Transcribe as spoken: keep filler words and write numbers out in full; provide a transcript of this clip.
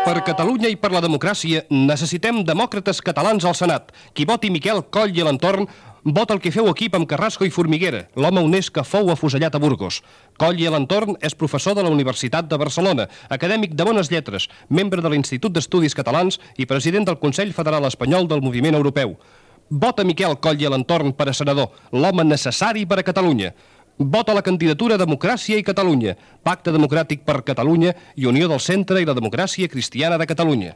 Per Catalunya i per la democràcia necessitem demòcrates catalans al Senat. Qui voti Miquel Coll i l'entorn vota el que feu equip amb Carrasco i Formiguera, l'home honest que fou afusellat a Burgos. Coll i l'entorn és professor de la Universitat de Barcelona, acadèmic de bones lletres, membre de l'Institut d'Estudis Catalans i president del Consell Federal Espanyol del Moviment Europeu. Vota Miquel Coll i l'entorn per a senador, l'home necessari per a Catalunya. Vota la candidatura Democràcia i Catalunya, Pacte Democràtic per Catalunya i Unió del Centre i la Democràcia Cristiana de Catalunya.